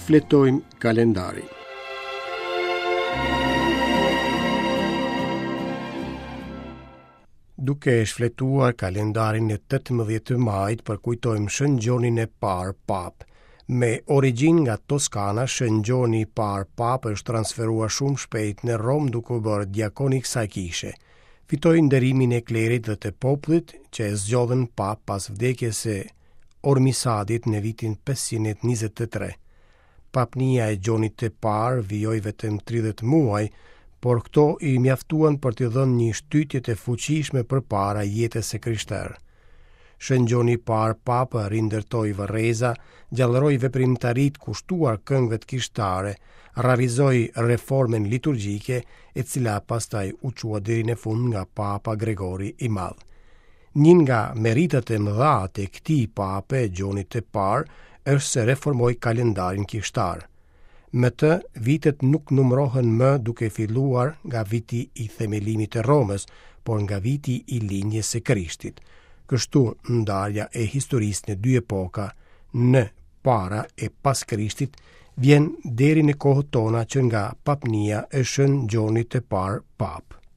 Shfletojmë kalendarin. Duke shfletuar kalendarin e 18 majit përkujtojmë Shën Gjonin e parë Papë. Me origjinë nga Toskana, Shën Gjoni i parë Papë është transferuar shumë shpejt në Romë duke u bërë diakon i kësaj kishe. Fitoi nderimin e klerit dhe të popullit që e zgjodhën Papë pas vdekjes së Ormisadit në vitin 523. Papnia e Gjonit të Parë vijoi vetëm 30 muaj, por këto i mjaftuan për t'i dhënë një shtytje të fuqishme përpara jetës së krishterë. Shën Gjoni i Parë Papë rindërtoi varreza, gjallëroi veprimtaritë kushtuar këngëve të kishtare, realizoi reformën liturgjike, e cila pastaj u çua deri në fund nga Papa Gregori i Madh. Një nga meritat e mëdha të këtij pape, Gjonit të Parë, është se reformoi kalendarin kishtar. Me të, vitet nuk numërohen më duke filluar nga viti i themelimit të Romës, por nga viti i lindjes së Krishtit. Kështu, ndarja e historisë në dy epoka, në para e pas Krishtit, vjen deri në kohët tona që nga papnia e Shën Gjonit të Parë Papë.